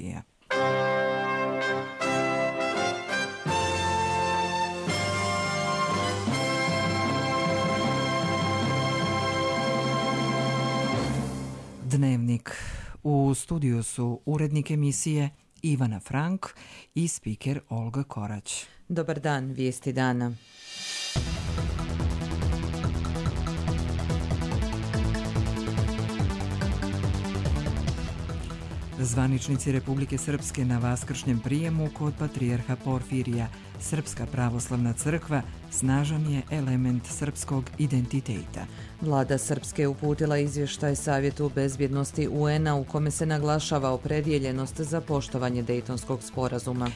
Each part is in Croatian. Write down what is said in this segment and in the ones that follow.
emisija. Dnevnik. U studiju su urednik emisije Ivana Frank i spiker Olga Korać. Dobar dan, vijesti dana. Zvaničnici Republike Srpske na vaskršnjem prijemu kod patrijarha Porfirija. Srpska pravoslavna crkva snažan je element srpskog identiteta. Vlada Srpske uputila izvještaj Savjetu bezbjednosti UN-a u kome se naglašava opredjeljenost za poštovanje Dejtonskog sporazuma.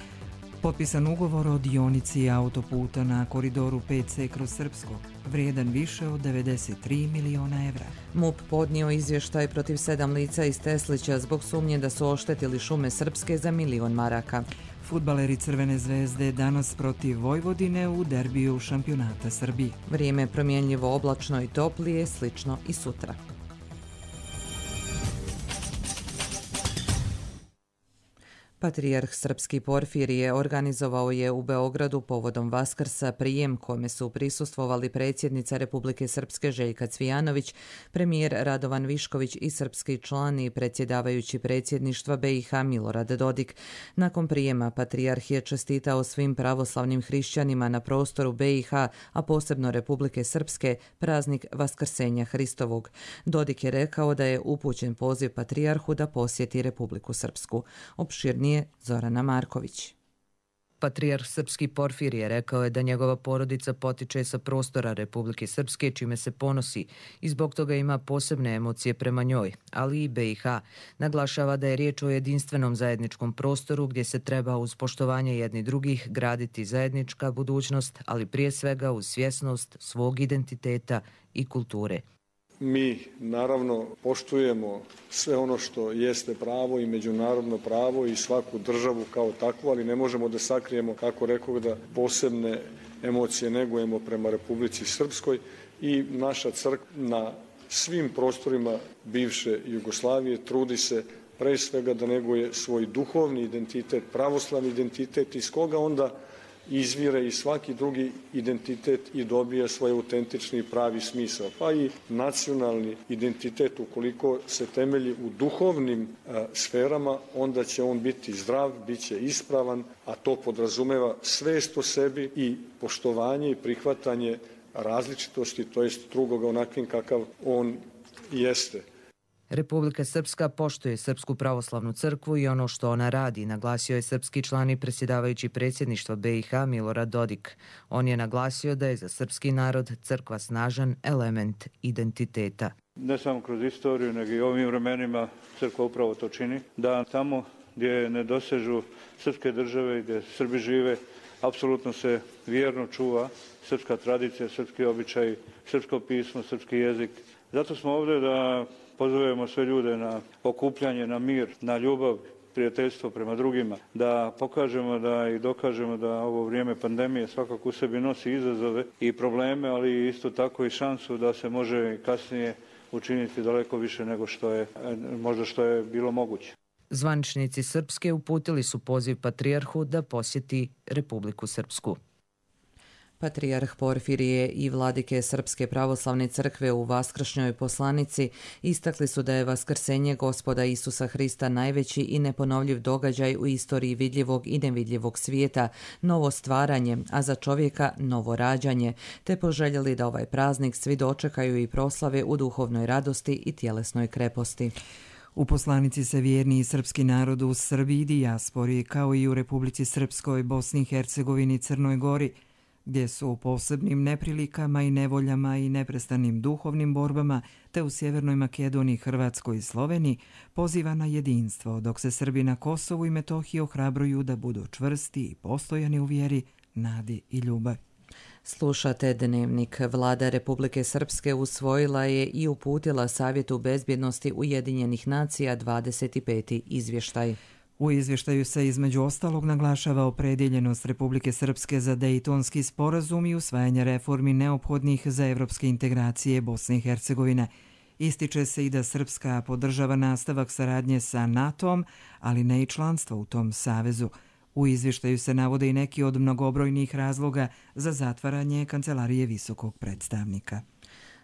Potpisan ugovor o dionici autoputa na koridoru 5C kroz Srpsko, vrijedan više od 93 miliona evra. MUP podnio izvještaj protiv 7 lica iz Teslića zbog sumnje da su oštetili šume Srpske za 1.000.000 maraka. Fudbaleri Crvene zvezde danas protiv Vojvodine u derbiju šampionata Srbije. Vrijeme je promjenljivo, oblačno i toplije, slično i sutra. Patrijarh Srpski Porfirije organizovao je u Beogradu povodom Vaskrsa prijem kome su prisustvovali predsjednica Republike Srpske Željka Cvijanović, premijer Radovan Višković i srpski član i predsjedavajući predsjedništva BiH Milorad Dodik. Nakon prijema patrijarh je čestitao svim pravoslavnim hrišćanima na prostoru BiH, a posebno Republike Srpske, praznik Vaskrsenja Hristovog. Dodik je rekao da je upućen poziv patrijarhu da posjeti Republiku Srpsku. Opširnije Zorana Marković. Patrijarh Srpski Porfirije rekao je da njegova porodica potiče sa prostora Republike Srpske, čime se ponosi i zbog toga ima posebne emocije prema njoj, ali i BiH. Naglašava da je riječ o jedinstvenom zajedničkom prostoru gdje se treba uz poštovanje jedni drugih graditi zajednička budućnost, ali prije svega uz svjesnost svog identiteta i kulture. Mi naravno poštujemo sve ono što jeste pravo i međunarodno pravo i svaku državu kao takvu, ali ne možemo da sakrijemo, kako rekao, da posebne emocije negujemo prema Republici Srpskoj i naša crkva na svim prostorima bivše Jugoslavije trudi se pre svega da neguje svoj duhovni identitet, pravoslavni identitet, iz koga onda izvire i svaki drugi identitet i dobija svoj autentični pravi smisao. Pa i nacionalni identitet, ukoliko se temelji u duhovnim sferama, onda će on biti zdrav, bit će ispravan, a to podrazumeva svest o sebi i poštovanje i prihvatanje različitosti, to jest drugoga onakvim kakav on jeste. Republika Srpska poštuje Srpsku pravoslavnu crkvu i ono što ona radi, naglasio je srpski član i predsjedavajući predsjedništva BiH Milorad Dodik. On je naglasio da je za srpski narod crkva snažan element identiteta. Ne samo kroz istoriju, nego i ovim vremenima crkva upravo to čini, da tamo gdje ne dosežu srpske države, gdje Srbi žive, apsolutno se vjerno čuva srpska tradicija, srpski običaj, srpsko pismo, srpski jezik. Zato smo ovdje da pozovemo sve ljude na okupljanje, na mir, na ljubav, prijateljstvo prema drugima, da pokažemo da i dokažemo da ovo vrijeme pandemije svakako u sebi nosi izazove i probleme, ali isto tako i šansu da se može kasnije učiniti daleko više nego što je bilo moguće. Zvaničnici Srpske uputili su poziv patrijarhu da posjeti Republiku Srpsku. Patrijarh Porfirije i vladike Srpske pravoslavne crkve u vaskršnjoj poslanici istakli su da je vaskrsenje Gospoda Isusa Hrista najveći i neponovljiv događaj u istoriji vidljivog i nevidljivog svijeta, novo stvaranje, a za čovjeka novo rađanje, te poželjeli da ovaj praznik svi dočekaju i proslave u duhovnoj radosti i tjelesnoj kreposti. U poslanici se vjerni i srpski narod u Srbiji i dijaspori, kao i u Republici Srpskoj, Bosni i Hercegovini, Crnoj Gori, gdje su u posebnim neprilikama i nevoljama i neprestanim duhovnim borbama, te u Sjevernoj Makedoniji, Hrvatskoj i Sloveniji, poziva na jedinstvo, dok se Srbi na Kosovu i Metohiji ohrabruju da budu čvrsti i postojani u vjeri, nadi i ljubavi. Slušate Dnevnik. Vlada Republike Srpske usvojila je i uputila Savjetu bezbjednosti Ujedinjenih nacija 25. izvještaj. U izvještaju se između ostalog naglašava opredjeljenost Republike Srpske za Dejtonski sporazum i usvajanje reformi neophodnih za evropske integracije Bosne i Hercegovine. Ističe se i da Srpska podržava nastavak saradnje sa NATO-om, ali ne i članstvo u tom savezu. U izvještaju se navode i neki od mnogobrojnih razloga za zatvaranje Kancelarije visokog predstavnika.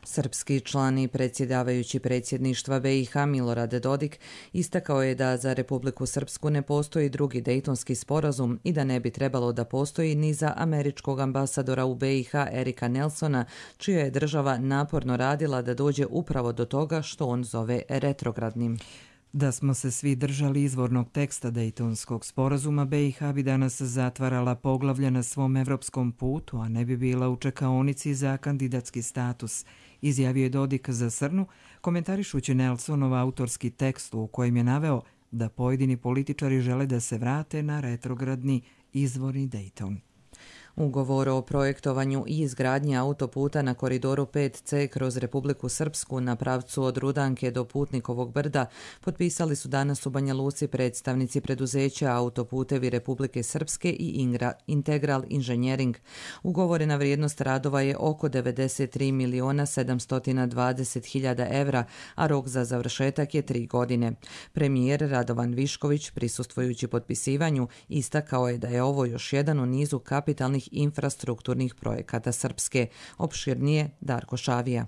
Srpski član i predsjedavajući predsjedništva BiH Milorad Dodik istakao je da za Republiku Srpsku ne postoji drugi Dejtonski sporazum i da ne bi trebalo da postoji ni za američkog ambasadora u BiH Erika Nelsona, čija je država naporno radila da dođe upravo do toga što on zove retrogradnim. Da smo se svi držali izvornog teksta Dejtonskog sporazuma, BiH bi danas zatvarala poglavlja na svom evropskom putu, a ne bi bila u čekaonici za kandidatski status, izjavio je Dodik za Srnu, komentarišući Nelsonov autorski tekst u kojem je naveo da pojedini političari žele da se vrate na retrogradni izvorni Dejton. Ugovor o projektovanju i izgradnji autoputa na koridoru 5C kroz Republiku Srpsku na pravcu od Rudanke do Putnikovog brda potpisali su danas u Banja Luci predstavnici preduzeća Autoputevi Republike Srpske i Integral Inženjering. Ugovorena vrijednost radova je oko 93.720.000 evra, a rok za završetak je 3 godine. Premijer Radovan Višković, prisustvujući potpisivanju, istakao je da je ovo još jedan u nizu kapitalnih infrastrukturnih projekata Srpske. Opširnije Darko Šavija.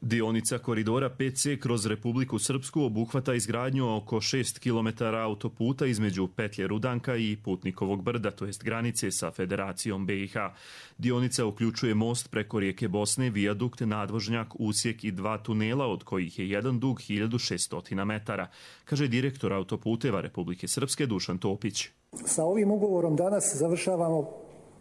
Dionica koridora 5C kroz Republiku Srpsku obuhvata izgradnju oko 6 km autoputa između petlje Rudanka i Putnikovog brda, to jest granice sa Federacijom BiH. Dionica uključuje most preko rijeke Bosne, vijadukt, nadvožnjak, usjek i 2 tunela, od kojih je jedan dug 1600 metara, kaže direktor Autoputeva Republike Srpske Dušan Topić. Sa ovim ugovorom danas završavamo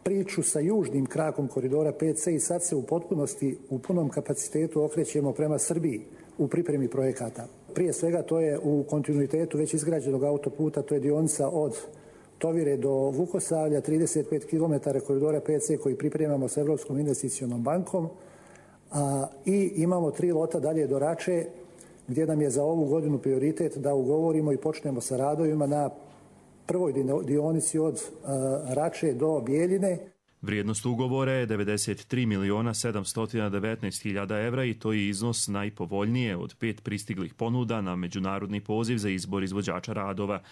priču sa južnim krakom koridora 5C i sad se u potpunosti, u punom kapacitetu okrećemo prema Srbiji u pripremi projekata. Prije svega to je u kontinuitetu već izgrađenog autoputa, to je dionica od Tovire do Vukosavlja, 35 km koridora 5C koji pripremamo sa Evropskom investicionom bankom i imamo 3 lota dalje do Rače gdje nam je za ovu godinu prioritet da ugovorimo i počnemo sa radovima na prvoj dionici od Rače do Bijeljine. Vrijednost ugovora je 93.719.000 evra i to je iznos najpovoljnije od 5 pristiglih ponuda na međunarodni poziv za izbor izvođača radova.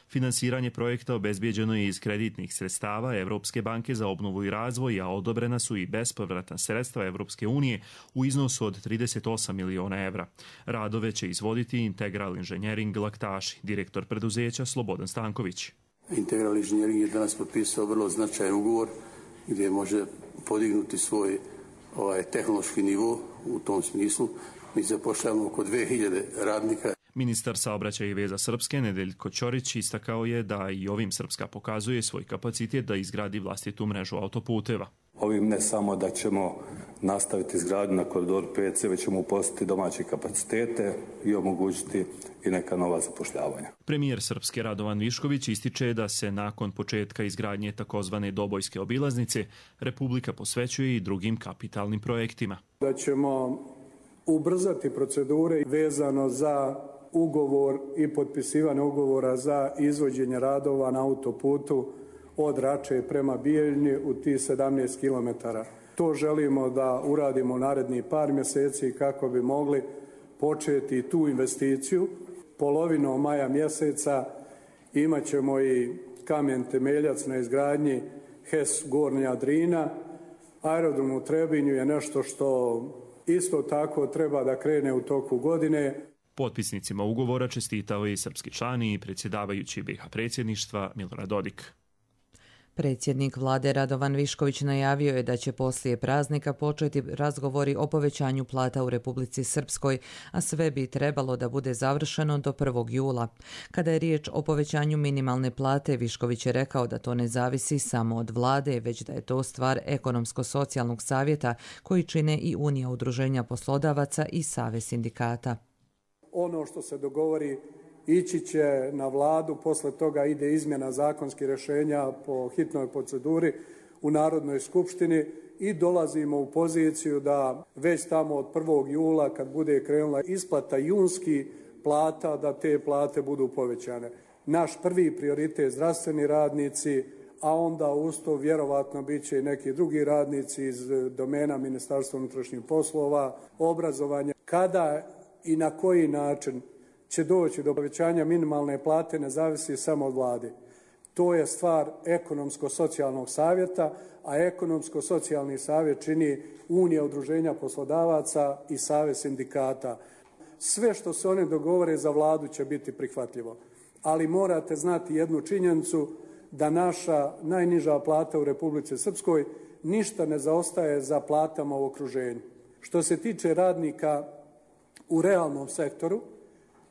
Finansiranje projekta obezbijeđeno je iz kreditnih sredstava Evropske banke za obnovu i razvoj, a odobrena su i bespovratna sredstva Evropske unije u iznosu od 38 miliona evra. Radove će izvoditi Integral Inženjering Laktaši, direktor preduzeća Slobodan Stanković. Integral Inženjering je danas potpisao vrlo značajan ugovor gdje može podignuti svoj tehnološki nivo u tom smislu. Mi zapošljavamo oko 2000 radnika. Ministar saobraćaja i veza Srpske Nedeljko Ćorić istakao je da i ovim Srpska pokazuje svoj kapacitet da izgradi vlastitu mrežu autoputeva. Ovim ne samo da ćemo nastaviti izgradnju na koridoru 5C, već ćemo uposliti domaće kapacitete i omogućiti i neka nova zapošljavanja. Premijer Srpske Radovan Višković ističe da se nakon početka izgradnje takozvane Dobojske obilaznice Republika posvećuje i drugim kapitalnim projektima. Da ćemo ubrzati procedure vezano za ugovor i potpisivanje ugovora za izvođenje radova na autoputu od Rače prema Bijeljni u tih 17 km. To želimo da uradimo narednih par mjeseci kako bi mogli početi tu investiciju. Polovinom maja mjeseca imat ćemo i kamen temeljac na izgradnji HES Gornja Drina. Aerodrom u Trebinju je nešto što isto tako treba da krene u toku godine. Potpisnicima ugovora čestitao je i srpski član i predsjedavajući BiH predsjedništva Milorad Dodik. Predsjednik vlade Radovan Višković najavio je da će poslije praznika početi razgovori o povećanju plata u Republici Srpskoj, a sve bi trebalo da bude završeno do 1. jula. Kada je riječ o povećanju minimalne plate, Višković je rekao da to ne zavisi samo od vlade, već da je to stvar ekonomsko-socijalnog savjeta koji čine i Unija udruženja poslodavaca i Savez sindikata. Ono što se dogovori ići će na vladu, posle toga ide izmjena zakonskih rješenja po hitnoj proceduri u Narodnoj skupštini i dolazimo u poziciju da već tamo od 1. jula kad bude krenula isplata junskih plata, da te plate budu povećane. Naš prvi prioritet zdravstveni radnici, a onda uz to vjerovatno bit će i neki drugi radnici iz domena Ministarstva unutrašnjih poslova, obrazovanja. Kada i na koji način će doći do povećanja minimalne plate ne zavisi samo od vlade. To je stvar ekonomsko-socijalnog savjeta, a ekonomsko-socijalni savjet čini Unija udruženja poslodavaca i Savez sindikata. Sve što se oni dogovore za vladu će biti prihvatljivo. Ali morate znati jednu činjenicu da naša najniža plata u Republici Srpskoj ništa ne zaostaje za platama u okruženju. Što se tiče radnika u realnom sektoru,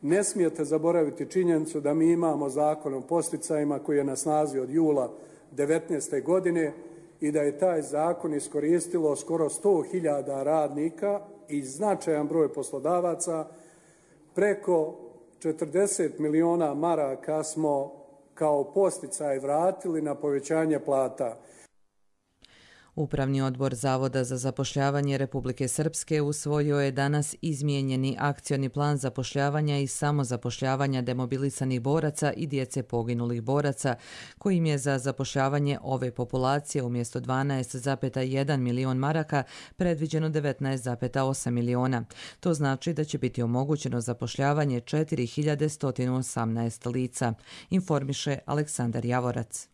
ne smijete zaboraviti činjenicu da mi imamo zakon o podsticajima koji je na snazi od jula 2019. godine i da je taj zakon iskoristilo skoro 100.000 radnika i značajan broj poslodavaca. Preko 40 miliona maraka smo kao podsticaj vratili na povećanje plata. Upravni odbor Zavoda za zapošljavanje Republike Srpske usvojio je danas izmijenjeni akcioni plan zapošljavanja i samozapošljavanja demobilisanih boraca i djece poginulih boraca, kojim je za zapošljavanje ove populacije umjesto 12,1 milion maraka predviđeno 19,8 miliona. To znači da će biti omogućeno zapošljavanje 4118 lica, informiše Aleksandar Javorac.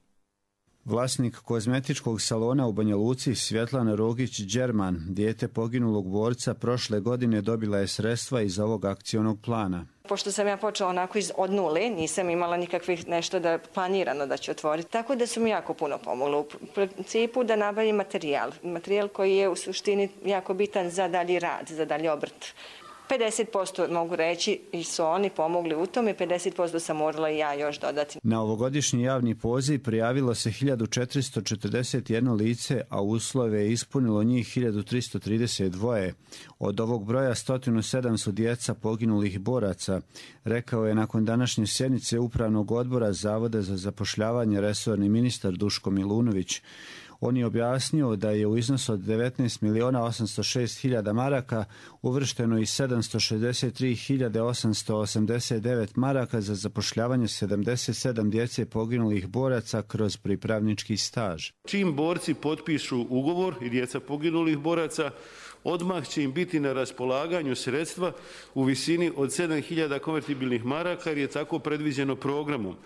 Vlasnik kozmetičkog salona u Banja Luci Svjetlana Rogić-Đerman, dijete poginulog borca, prošle godine dobila je sredstva iz ovog akcionog plana. Pošto sam ja počela onako od nule, nisam imala nikakvih nešto da planirano da će otvoriti, tako da su mi jako puno pomogli. U principu da nabavim materijal koji je u suštini jako bitan za dalji rad, za dalji obrt. 50% mogu reći i su oni pomogli u tome, 50% sam morala i ja još dodati. Na ovogodišnji javni poziv prijavilo se 1441 lice, a uslove je ispunilo njih 1332. Od ovog broja 107 su djeca poginulih boraca, rekao je nakon današnje sjednice Upravnog odbora Zavoda za zapošljavanje resorni ministar Duško Milunović. On je objasnio da je u iznosu od 19.806.000 maraka uvršteno i 763.889 maraka za zapošljavanje 77 djece poginulih boraca kroz pripravnički staž. Čim borci potpišu ugovor i djeca poginulih boraca, odmah će im biti na raspolaganju sredstva u visini od 7.000 konvertibilnih maraka jer je tako predviđeno programom.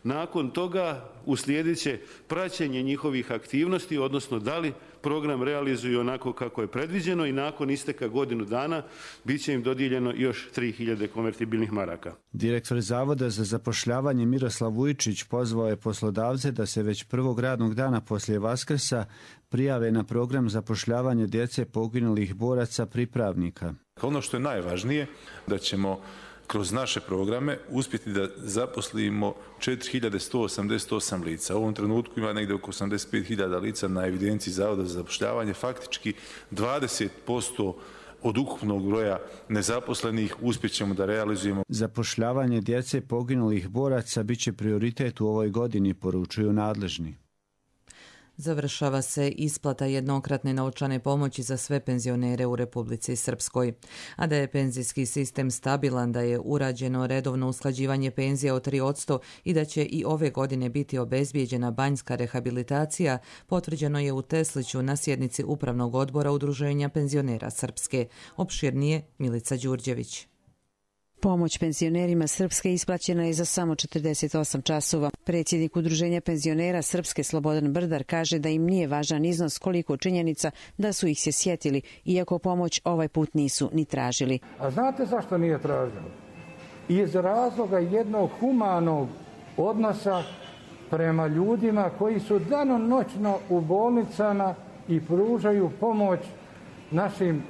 Nakon toga uslijedit će praćenje njihovih aktivnosti, odnosno da li program realizuju onako kako je predviđeno i nakon isteka godinu dana bit će im dodijeljeno još 3.000 konvertibilnih maraka. Direktor Zavoda za zapošljavanje Miroslav Vujčić pozvao je poslodavce da se već prvog radnog dana poslije Vaskrsa prijave na program zapošljavanja djece poginulih boraca pripravnika. Ono što je najvažnije da ćemo kroz naše programe uspjeti da zaposlimo 4.188 lica. U ovom trenutku ima negdje oko 85.000 lica na evidenciji Zavoda za zapošljavanje. Faktički 20% od ukupnog broja nezaposlenih uspjećemo da realizujemo. Zapošljavanje djece poginulih boraca bit će prioritet u ovoj godini, poručuju nadležni. Završava se isplata jednokratne novčane pomoći za sve penzionere u Republici Srpskoj. A da je penzijski sistem stabilan, da je urađeno redovno usklađivanje penzija od 3% i da će i ove godine biti obezbijeđena banjska rehabilitacija, potvrđeno je u Tesliću na sjednici Upravnog odbora Udruženja penzionera Srpske. Opširnije Milica Đurđević. Pomoć penzionerima Srpske isplaćena je za samo 48 časova. Predsjednik Udruženja penzionera Srpske Slobodan Brdar kaže da im nije važan iznos koliko činjenica da su ih se sjetili, iako pomoć ovaj put nisu ni tražili. A znate zašto nije tražili? Iz razloga jednog humanog odnosa prema ljudima koji su danonoćno u bolnicama i pružaju pomoć našim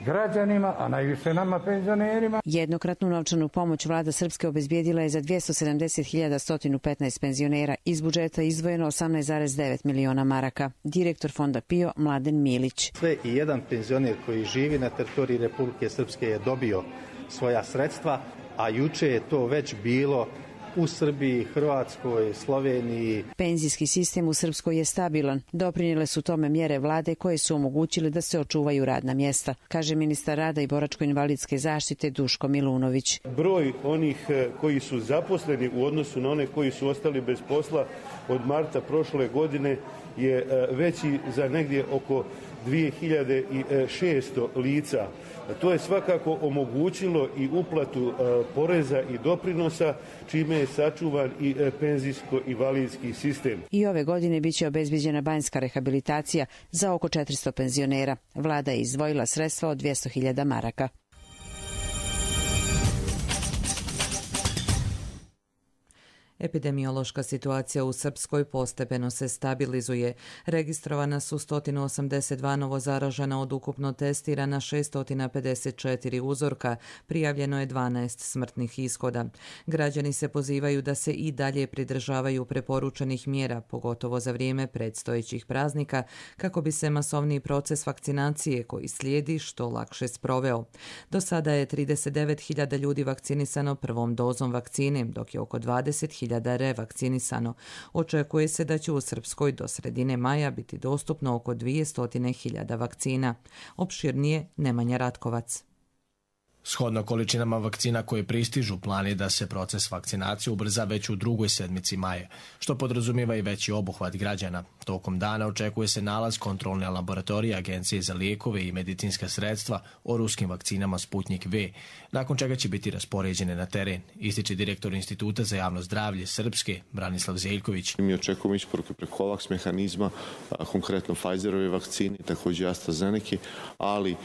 građanima, a najviše nama penzionerima. Jednokratnu novčanu pomoć vlada Srpske obezbijedila je za 270.115 penzionera. Iz budžeta izdvojeno 18,9 miliona maraka. Direktor fonda PIO Mladen Milić. Sve i jedan penzioner koji živi na teritoriji Republike Srpske je dobio svoja sredstva, a juče je to već bilo u Srbiji, Hrvatskoj, Sloveniji. Penzijski sistem u Srpskoj je stabilan. Doprinijele su tome mjere vlade koje su omogućile da se očuvaju radna mjesta, kaže ministar rada i boračko-invalidske zaštite Duško Milunović. Broj onih koji su zaposleni u odnosu na one koji su ostali bez posla od marta prošle godine je veći za negdje oko 2600 lica. To je svakako omogućilo i uplatu poreza i doprinosa, čime je sačuvan i penzijsko-invalidski sistem. I ove godine biće obezbeđena banjska rehabilitacija za oko 400 penzionera. Vlada je izdvojila sredstva od 200.000 maraka. Epidemiološka situacija u Srpskoj postepeno se stabilizuje. Registrovana su 182 novo zaražena od ukupno testirana 654 uzorka. Prijavljeno je 12 smrtnih ishoda. Građani se pozivaju da se i dalje pridržavaju preporučenih mjera, pogotovo za vrijeme predstojećih praznika, kako bi se masovni proces vakcinacije koji slijedi što lakše sproveo. Do sada je 39.000 ljudi vakcinisano prvom dozom vakcine, dok je oko 20.000 revakcinisano. Očekuje se da će u Srpskoj do sredine maja biti dostupno oko 200.000 vakcina. Opširnije Nemanja Ratkovac. Shodno količinama vakcina koje pristižu, plan je da se proces vakcinacije ubrza već u drugoj sedmici maja, što podrazumijeva i veći obuhvat građana. Tokom dana očekuje se nalaz kontrolne laboratorije Agencije za lijekove i medicinska sredstva o ruskim vakcinama Sputnik V, nakon čega će biti raspoređene na teren, ističe direktor Instituta za javno zdravlje Srpske, Branislav Zeljković. Mi očekujemo isporuke preko COVAX mehanizma, konkretno Pfizerove vakcine, također AstraZeneca, ali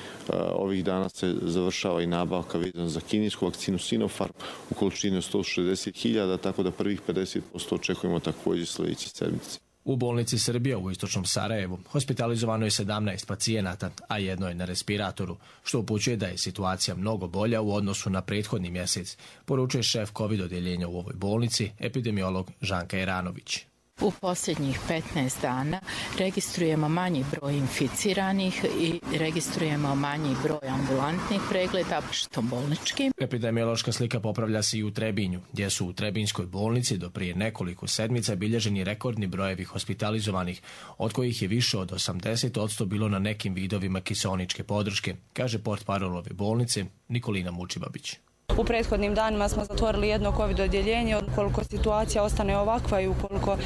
ovih dana se završava i nabavka vezana za kinesku vakcinu Sinopharm u količini od 160.000, tako da prvih 50% očekujemo također sljedeće sedmice. U bolnici Srbija u istočnom Sarajevu hospitalizovano je 17 pacijenata, a jedno je na respiratoru, što upućuje da je situacija mnogo bolja u odnosu na prethodni mjesec, poručuje šef COVID odjeljenja u ovoj bolnici, epidemiolog Žanka Jeranović. U posljednjih 15 dana registrujemo manji broj inficiranih i registrujemo manji broj ambulantnih pregleda, što bolnički. Epidemiološka slika popravlja se i u Trebinju, gdje su u Trebinjskoj bolnici do prije nekoliko sedmica bilježeni rekordni brojevi hospitalizovanih, od kojih je više od 80% bilo na nekim vidovima kiseoničke podrške, kaže portparol ove bolnice Nikolina Mučibabić. U prethodnim danima smo zatvorili jedno COVID odjeljenje, ukoliko situacija ostane ovakva i ukoliko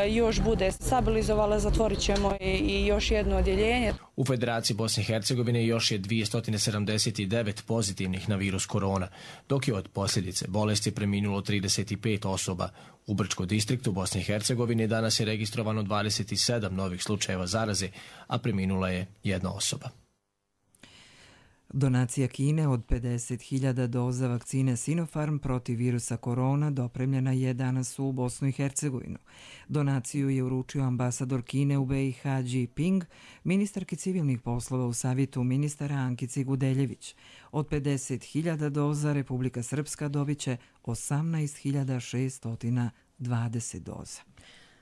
još bude stabilizovala, zatvorit ćemo i još jedno odjeljenje. U Federaciji Bosne i Hercegovine još je 279 pozitivnih na virus korona, dok je od posljedice bolesti preminulo 35 osoba. U Brčkom distriktu Bosne i Hercegovine danas je registrovano 27 novih slučajeva zaraze, a preminula je jedna osoba. Donacija Kine od 50.000 doza vakcine Sinopharm protiv virusa korona dopremljena je danas u Bosnu i Hercegovinu. Donaciju je uručio ambasador Kine u BiH Ji Ping, ministarki civilnih poslova u Savjetu ministara Ankici Gudeljević. Od 50.000 doza Republika Srpska dobit će 18.620 doza.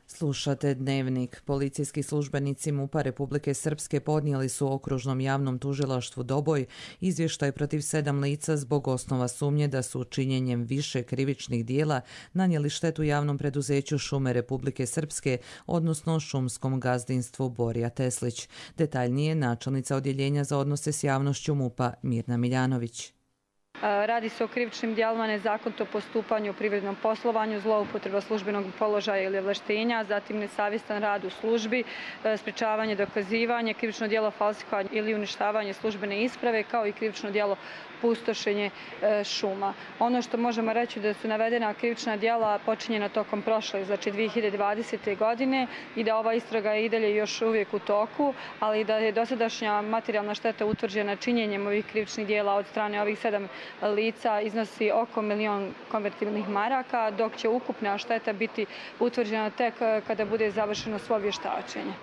Slušate Dnevnik. Policijski službenici MUP-a Republike Srpske podnijeli su okružnom javnom tužilaštvu Doboj izvještaj protiv 7 lica zbog osnova sumnje da su činjenjem više krivičnih dijela nanijeli štetu javnom preduzeću Šume Republike Srpske, odnosno šumskom gazdinstvu Borja Teslić. Detaljnije načelnica odjeljenja za odnose s javnošću MUP-a Mirna Miljanović. Radi se o krivičnim djelima, nezakonito postupanje u privrednom poslovanju, zloupotreba službenog položaja ili ovlaštenja, zatim nesavjestan rad u službi, sprečavanje, dokazivanje, krivično djelo falsifikovanje ili uništavanje službene isprave, kao i krivično djelo pustošenje šuma. Ono što možemo reći da su navedena krivična djela počinjena tokom prošle, znači 2020. godine, i da ova istraga je i dalje još uvijek u toku, ali da je dosadašnja materijalna šteta utvrđena činjenjem ovih krivičnih djela od strane ovih 7 lica iznosi oko 1 milion konvertibilnih maraka, dok će ukupna šteta biti utvrđena tek kada bude završeno svo vještačenje.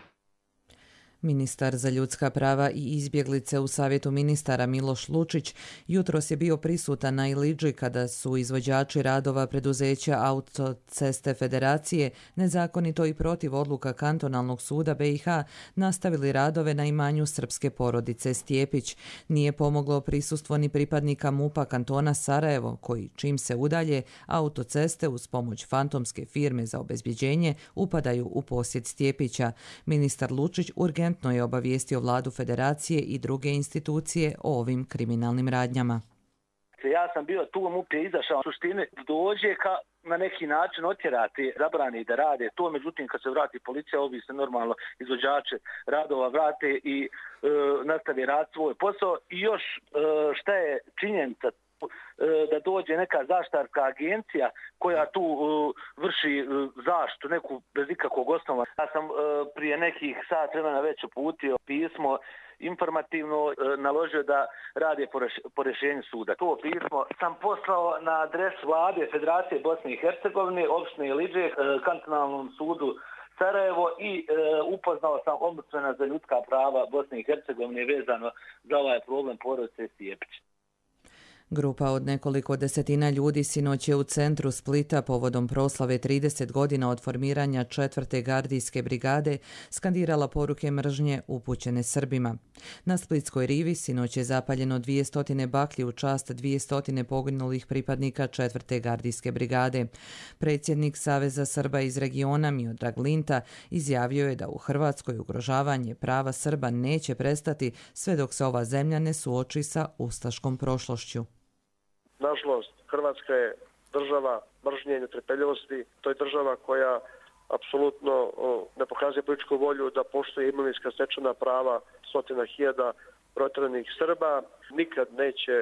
Ministar za ljudska prava i izbjeglice u Savjetu ministara Miloš Lučić jutros je bio prisutan na Ilidži kada su izvođači radova preduzeća Autoceste Federacije nezakonito i protiv odluka Kantonalnog suda BiH nastavili radove na imanju srpske porodice Stjepić. Nije pomoglo prisustvo ni pripadnika MUP-a kantona Sarajevo, koji čim se udalje, autoceste uz pomoć fantomske firme za obezbjeđenje upadaju u posjed Stjepića. Ministar Lučić urgentno je obavijestio vladu Federacije i druge institucije o ovim kriminalnim radnjama. Ja sam bio tu, MUP je izašao, u suštini dođe na neki način otjerati, zabrani da rade to, međutim kad se vrati policija, ovi se normalno izvođači radova vrate i nastavi rad svoj posao. I još šta je činjenica, da dođe neka zaštitarska agencija koja tu vrši zaštitu, neku bez ikakvog osnova. Ja sam prije nekih sat vremena već uputio pismo informativno, naložio da rade po rješenju suda. To pismo sam poslao na adres vlade Federacije Bosne i Hercegovine, opštine Ilidže, kantonalnom sudu Sarajevo i upoznao sam ombudsmana za ljudska prava Bosne i Hercegovine vezano za ovaj problem porodice Stjepić. Grupa od nekoliko desetina ljudi sinoć je u centru Splita povodom proslave 30 godina od formiranja 4. gardijske brigade skandirala poruke mržnje upućene Srbima. Na Splitskoj rivi sinoć je zapaljeno 200 baklji u čast 200 poginulih pripadnika 4. gardijske brigade. Predsjednik Saveza Srba iz regiona Miodrag Linta izjavio je da u Hrvatskoj ugrožavanje prava Srba neće prestati sve dok se ova zemlja ne suoči sa ustaškom prošlošću. Nažalost, Hrvatska je država mržnje i netrpeljivosti. To je država koja apsolutno ne pokazuje političku volju da poštuje imovinska stečena prava stotina hiljada proteranih Srba. Nikad neće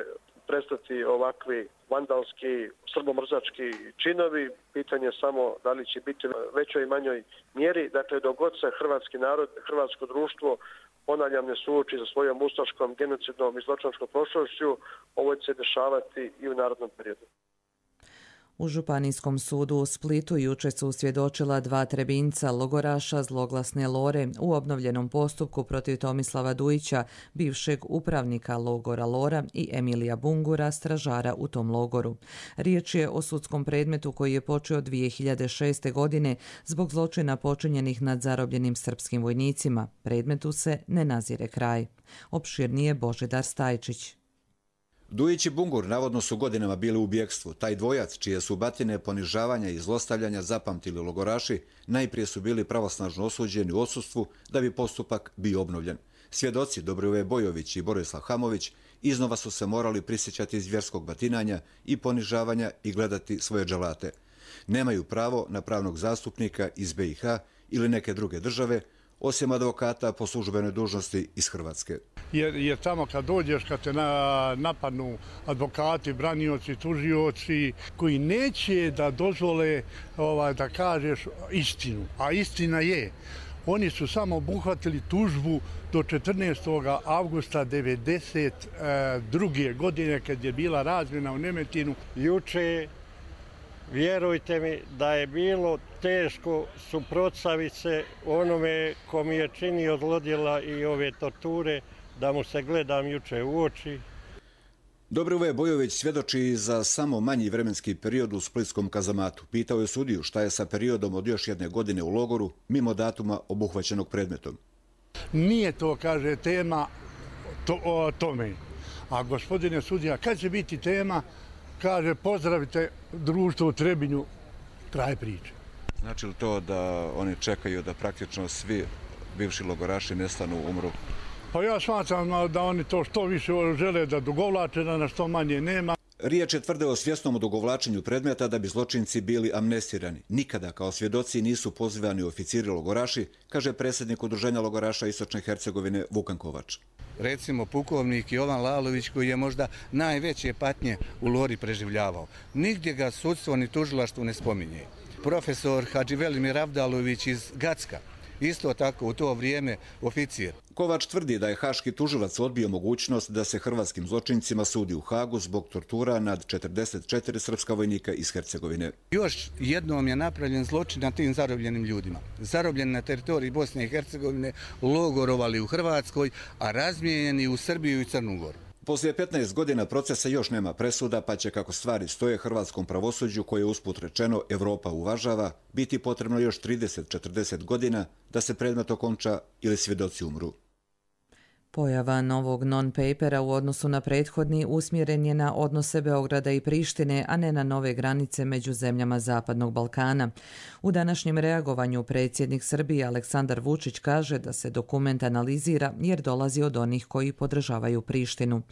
prestati ovakvi vandalski, srbomrzački činovi. Pitanje je samo da li će biti u većoj i manjoj mjeri. Dakle, dok god se hrvatski narod, hrvatsko društvo, ponavljam, ne suoči sa svojom ustaškom, genocidnom i zločinačkom prošlošću, ovo će se dešavati i u narednom periodu. U Županijskom sudu u Splitu juče su svjedočila 2 Trebinjca logoraša zloglasne Lore u obnovljenom postupku protiv Tomislava Dujića, bivšeg upravnika logora Lora, i Emilija Bungura, stražara u tom logoru. Riječ je o sudskom predmetu koji je počeo 2006. godine zbog zločina počinjenih nad zarobljenim srpskim vojnicima. Predmetu se ne nazire kraj. Opširnije Božidar Stajčić. Dujić i Bungur navodno su godinama bili u bjekstvu. Taj dvojac, čije su batine ponižavanja i zlostavljanja zapamtili logoraši, najprije su bili pravosnažno osuđeni u odsustvu da bi postupak bio obnovljen. Svjedoci Dobrivoje Bojović i Borislav Hamović iznova su se morali prisjećati zvjerskog batinanja i ponižavanja i gledati svoje dželate. Nemaju pravo na pravnog zastupnika iz BiH ili neke druge države, osim advokata po službenoj dužnosti iz Hrvatske. Jer tamo kad dođeš, kad te napadnu advokati, branioci, tužioci, koji neće da dozvole da kažeš istinu, a istina je. Oni su samo obuhvatili tužbu do 14. avgusta 1992. godine kad je bila razmjena u Nemetinu. Juče, vjerujte mi da je bilo teško suprotstaviti se onome ko mi je činio zlodjela i ove torture, da mu se gledam juče u oči. Dobrivoje Bojović svjedoči za samo manji vremenski period u splitskom kazamatu. Pitao je sudiju šta je sa periodom od još 1 godine u logoru, mimo datuma obuhvaćenog predmetom. Nije to, kaže, tema o tome. A gospodine sudija, kad će biti tema, kaže, pozdravite društvo u Trebinju, kraj priče. Znači li to da oni čekaju da praktično svi bivši logoraši nestanu, umru? Pa ja smatram da oni to što više žele da dugovlače, da na što manje nema. Riječ je tvrde o svjesnom odugovlačenju predmeta da bi zločinci bili amnestirani. Nikada kao svjedoci nisu pozivani oficiri logoraši, kaže predsjednik Udruženja logoraša Istočne Hercegovine Vukan Kovač. Recimo pukovnik Jovan Lalović, koji je možda najveće patnje u Lori preživljavao. Nigdje ga sudstvo ni tužilaštvo ne spominje. Profesor Hadži Velimir Avdalović iz Gacka isto tako u to vrijeme oficir. Kovač tvrdi da je haški tužilac odbio mogućnost da se hrvatskim zločincima sudi u Hagu zbog tortura nad 44 srpska vojnika iz Hercegovine. Još jednom je napravljen zločin na tim zarobljenim ljudima. Zarobljeni na teritoriji Bosne i Hercegovine, logorovali u Hrvatskoj, a razmijenjeni u Srbiju i Crnu Goru. Poslije 15 godina procesa još nema presuda, pa će, kako stvari stoje, hrvatskom pravosuđu, koje usput rečeno Evropa uvažava, biti potrebno još 30-40 godina da se predmet okonča ili svjedoci umru. Pojava novog non-papera u odnosu na prethodni usmjeren je na odnose Beograda i Prištine, a ne na nove granice među zemljama Zapadnog Balkana. U današnjem reagovanju predsjednik Srbije Aleksandar Vučić kaže da se dokument analizira jer dolazi od onih koji podržavaju Prištinu.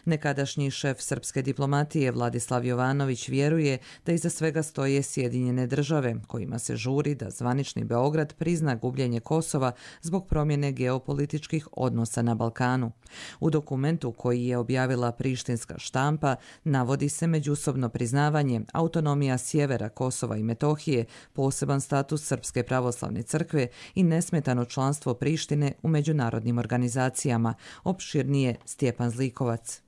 Nekadašnji šef srpske diplomatije Vladislav Jovanović vjeruje da iza svega stoje Sjedinjene države, kojima se žuri da zvanični Beograd prizna gubljenje Kosova zbog promjene geopolitičkih odnosa na Balkanu. U dokumentu koji je objavila prištinska štampa navodi se međusobno priznavanje, autonomija sjevera Kosova i Metohije, poseban status Srpske pravoslavne crkve i nesmetano članstvo Prištine u međunarodnim organizacijama. Opširnije Stjepan Zlikovac.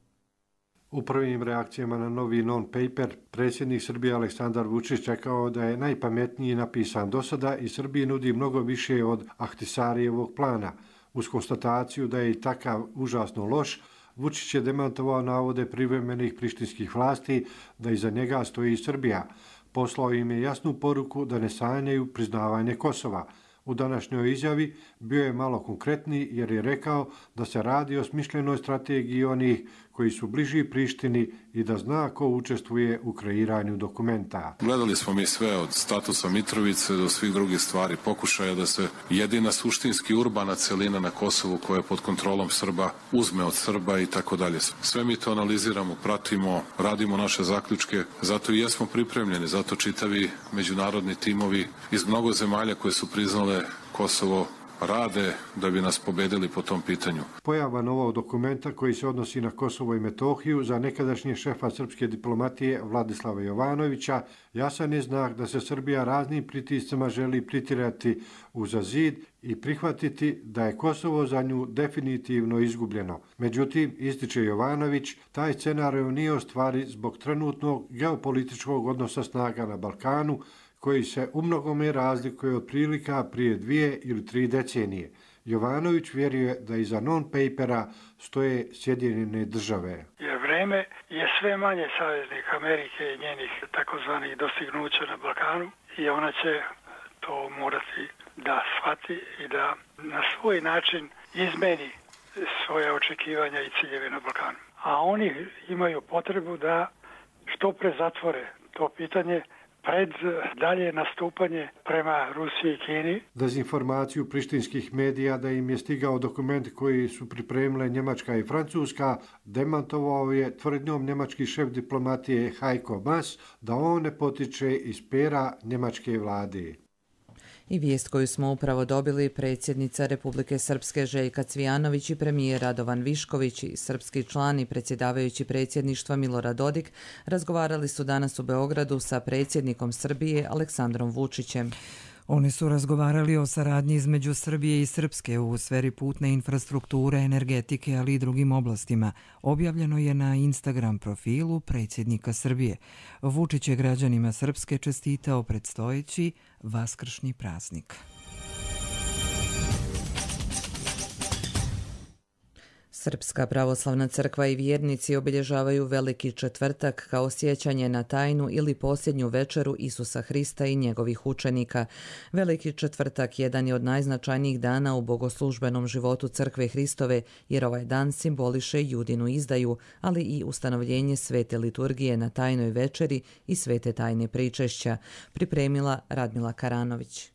U prvim reakcijama na novi non-paper, predsjednik Srbije Aleksandar Vučić rekao da je najpametniji napisan do sada i Srbiji nudi mnogo više od Ahtisarijevog plana. Uz konstataciju da je i takav užasno loš, Vučić je demantovao navode privremenih prištinskih vlasti da iza njega stoji i Srbija. Poslao im je jasnu poruku da ne sanjaju priznavanje Kosova. U današnjoj izjavi bio je malo konkretniji jer je rekao da se radi o smišljenoj strategiji onih koji su bliži Prištini i da zna ko učestvuje u kreiranju dokumenta. Gledali smo mi sve od statusa Mitrovice do svih drugih stvari, pokušaja da se jedina suštinski urbana celina na Kosovu koja je pod kontrolom Srba uzme od Srba i tako dalje. Sve mi to analiziramo, pratimo, radimo naše zaključke, zato i jesmo pripremljeni, zato čitavi međunarodni timovi iz mnogo zemalja koje su priznale Kosovo rade da bi nas pobedili po tom pitanju. Pojava novog dokumenta koji se odnosi na Kosovo i Metohiju za nekadašnje šefa srpske diplomatije Vladislava Jovanovića jasan je znak da se Srbija raznim pritiscima želi pritirati uza zid i prihvatiti da je Kosovo za nju definitivno izgubljeno. Međutim, ističe Jovanović, taj scenarij nije u stvari zbog trenutnog geopolitičkog odnosa snaga na Balkanu, koji se u mnogome razlikuje od prilika prije 2 ili 3 decenije. Jovanović vjeruje da iza non-papera stoje Sjedinjene države. Jer vreme je sve manje saveznik Amerike i njenih takozvanih dostignuća na Balkanu i ona će to morati da shvati i da na svoj način izmeni svoje očekivanja i ciljeve na Balkanu. A oni imaju potrebu da što pre zatvore to pitanje pred dalje nastupanje prema Rusiji i Kini. Dezinformaciju prištinskih medija da im je stigao dokument koji su pripremile Njemačka i Francuska demantovao je tvrdnjom njemački šef diplomatije Heiko Maas da on ne potiče iz pera njemačke vlade. I vijest koju smo upravo dobili, predsjednica Republike Srpske Željka Cvijanović i premijer Radovan Višković i srpski član i predsjedavajući predsjedništva Milorad Dodik razgovarali su danas u Beogradu sa predsjednikom Srbije Aleksandrom Vučićem. Oni su razgovarali o saradnji između Srbije i Srpske u sferi putne infrastrukture, energetike, ali i drugim oblastima. Objavljeno je na Instagram profilu predsjednika Srbije. Vučić je građanima Srpske čestitao predstojeći vaskršnji praznik. Srpska pravoslavna crkva i vjernici obilježavaju Veliki četvrtak kao sjećanje na tajnu ili posljednju večeru Isusa Hrista i njegovih učenika. Veliki četvrtak jedan je od najznačajnijih dana u bogoslužbenom životu Crkve Hristove, jer ovaj dan simboliše Judinu izdaju, ali i ustanovljenje svete liturgije na tajnoj večeri i svete tajne pričešća, pripremila Radmila Karanović.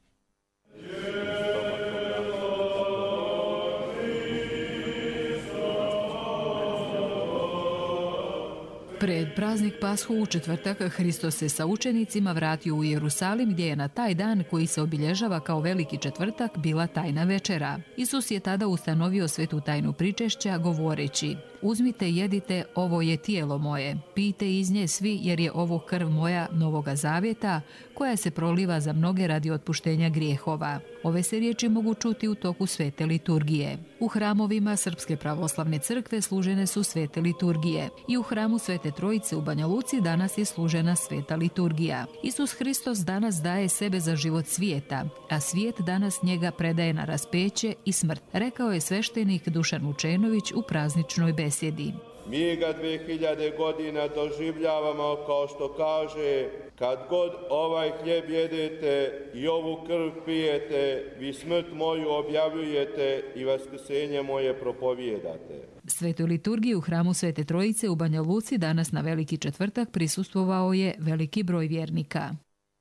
Pred praznik Pashu u četvrtak Hristos se sa učenicima vratio u Jerusalim, gdje je na taj dan koji se obilježava kao Veliki četvrtak bila tajna večera. Isus je tada ustanovio svetu tajnu pričešća govoreći: "Uzmite, jedite, ovo je tijelo moje, pijte iz nje svi, jer je ovo krv moja novoga zavjeta, koja se proliva za mnoge radi otpuštenja grijehova. Ove se riječi mogu čuti u toku svete liturgije. U hramovima Srpske pravoslavne crkve služene su svete liturgije i u hramu Svete Trojice u Banja Luci danas je služena sveta liturgija. Isus Hristos danas daje sebe za život svijeta, a svijet danas njega predaje na raspeće i smrt, rekao je sveštenik Dušan Vučenović u prazničnoj besjedi. Mi ga 2000 godina doživljavamo, kao što kaže, kad god ovaj hljeb jedete i ovu krv pijete, vi smrt moju objavljujete i vaskrsenje moje propovijedate. Svetoj liturgiji u hramu Svete Trojice u Banja Luci danas na Veliki četvrtak prisustvovao je veliki broj vjernika.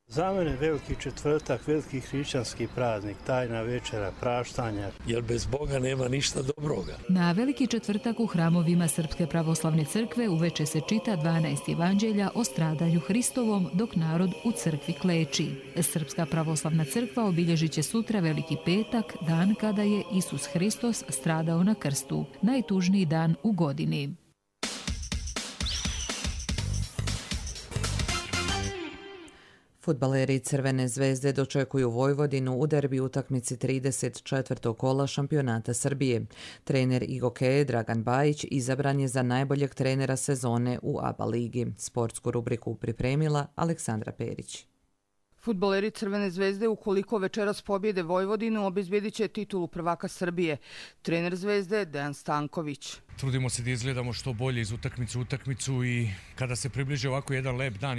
Za mene Veliki četvrtak, veliki hrišćanski praznik, tajna večera, praštanja. Jer bez Boga nema ništa dobroga. Na Veliki četvrtak u hramovima Srpske pravoslavne crkve uveče se čita 12 evanđelja o stradanju Hristovom, dok narod u crkvi kleči. Srpska pravoslavna crkva obilježit će sutra Veliki petak, dan kada je Isus Hristos stradao na krstu, najtužniji dan u godini. Fudbaleri Crvene zvezde dočekuju Vojvodinu u derbi utakmici 34. kola šampionata Srbije. Trener IGOKE Dragan Bajić izabran je za najboljeg trenera sezone u ABA ligi. Sportsku rubriku pripremila Aleksandra Perić. Fudbaleri Crvene zvezde, ukoliko večeras pobjede Vojvodinu, obezbjedit će titulu prvaka Srbije. Trener Zvezde Dejan Stanković. Trudimo se da izgledamo što bolje iz utakmice u utakmicu i kada se približi ovako jedan lep dan,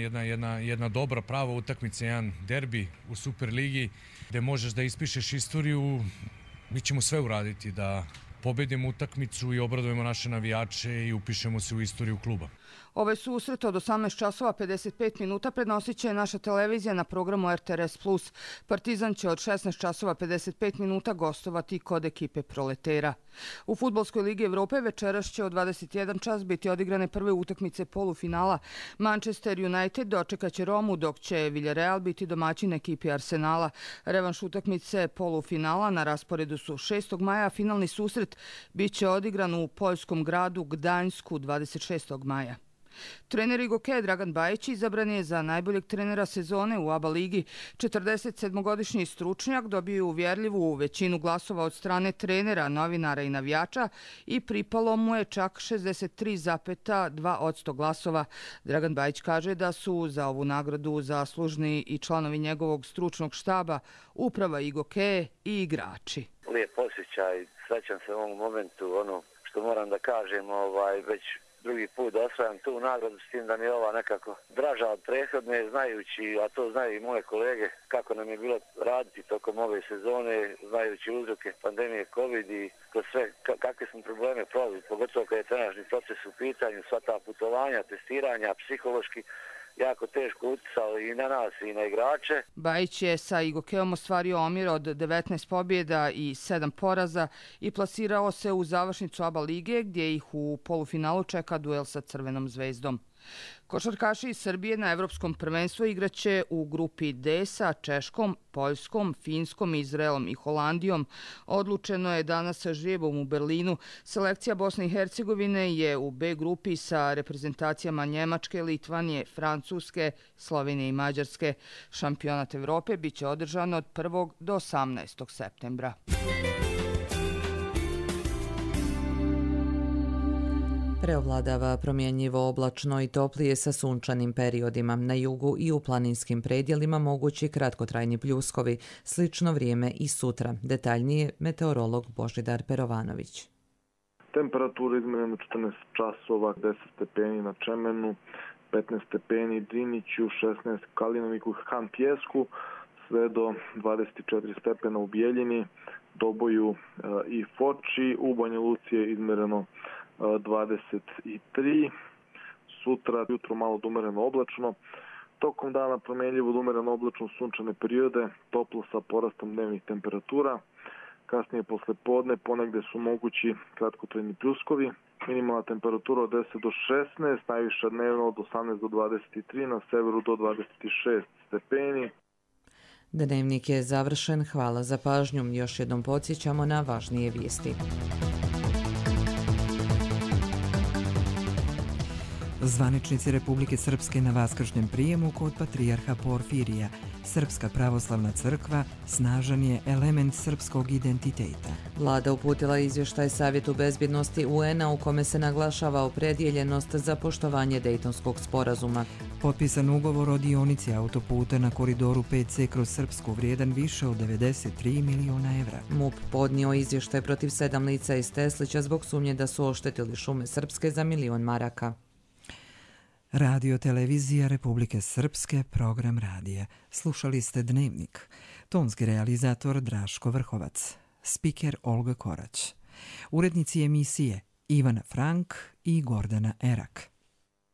jedna dobra prava utakmica, jedan derbi u Superligi gde možeš da ispišeš istoriju, mi ćemo sve uraditi da pobedimo utakmicu i obradujemo naše navijače i upišemo se u istoriju kluba. Ove susrete od 18 časova 55 minuta prenosit će naša televizija na programu RTRS+. Partizan će od 16 časova 55 minuta gostovati kod ekipe Proletera. U Fudbalskoj ligi Evrope večeras će od 21 čas biti odigrane prve utakmice polufinala. Manchester United dočekaće Romu, dok će Villarreal biti domaćin ekipi Arsenala. Revanš utakmice polufinala na rasporedu su 6. maja, finalni susret biće odigran u poljskom gradu Gdańsku 26. maja. Trener IGOKE Dragan Bajić izabran je za najboljeg trenera sezone u ABA ligi. 47-godišnji stručnjak dobio uvjerljivu većinu glasova od strane trenera, novinara i navijača i pripalo mu je čak 63,2% glasova. Dragan Bajić kaže da su za ovu nagradu zaslužni i članovi njegovog stručnog štaba, uprava IGOKE i igrači. Lijep osjećaj, srećan se u ovom momentu, ono što moram da kažem, već drugi put da osvajam tu nagradu, s tim da mi je ova nekako draža od prethodne, znajući, a to znaju i moje kolege, kako nam je bilo raditi tokom ove sezone, znajući uzroke pandemije COVID i kroz sve kakve smo probleme prolazili, pogotovo kad je trenažni proces u pitanju, sva ta putovanja, testiranja, psihološki, jako teško utjecalo i na nas i na igrače. Bajić je sa IGOKE-om ostvario omjer od 19 pobjeda i 7 poraza i plasirao se u završnicu ABA lige, gdje ih u polufinalu čeka duel sa Crvenom zvezdom. Košarkaši iz Srbije na Evropskom prvenstvu igraće u grupi D sa Češkom, Poljskom, Finskom, Izraelom i Holandijom. Odlučeno je danas sa žrijebom u Berlinu. Selekcija Bosne i Hercegovine je u B grupi sa reprezentacijama Njemačke, Litvanije, Francuske, Slovenije i Mađarske. Šampionat Evrope biće održan od 1. do 18. septembra. Preovladava promjenjivo oblačno i toplije sa sunčanim periodima. Na jugu i u planinskim predjelima mogući kratkotrajni pljuskovi. Slično vrijeme i sutra. Detaljnije meteorolog Božidar Perovanović. Temperatura izmjerena 14 časova, 10 stepeni na Čemenu, 15 stepeni Driniću, 16 Kalinoviku i Han Pjesku, sve do 24 stepena u Bijeljini, Doboju i Foči. U Banja Luci je izmjereno 23, sutra jutro malo umereno oblačno, tokom dana promjenljivo umereno oblačno sunčane periode, toplo sa porastom dnevnih temperatura, kasnije posle podne ponegde su mogući kratkotrajni pljuskovi, minimalna temperatura od 10 do 16, najviša dnevno od 18 do 23, na severu do 26 stepeni. Dnevnik je završen, hvala za pažnju, još jednom podsjećamo na važnije vijesti. Zvaničnici Republike Srpske na vaskršnjem prijemu kod patrijarha Porfirija. Srpska pravoslavna crkva snažan je element srpskog identiteta. Vlada uputila izvještaj Savjetu bezbjednosti UN-a u kome se naglašava opredjeljenost za poštovanje Dejtonskog sporazuma. Potpisan ugovor o dionici autoputa na koridoru 5C kroz Srpsku vrijedan više od 93 miliona evra. MUP podnio izvještaj protiv 7 lica iz Teslića zbog sumnje da su oštetili šume Srpske za 1.000.000 maraka. Radio televizija Republike Srpske, program radija. Slušali ste Dnevnik. Tonski realizator Draško Vrhovac. Spiker Olga Korać. Urednici emisije Ivana Frank i Gordana Erak.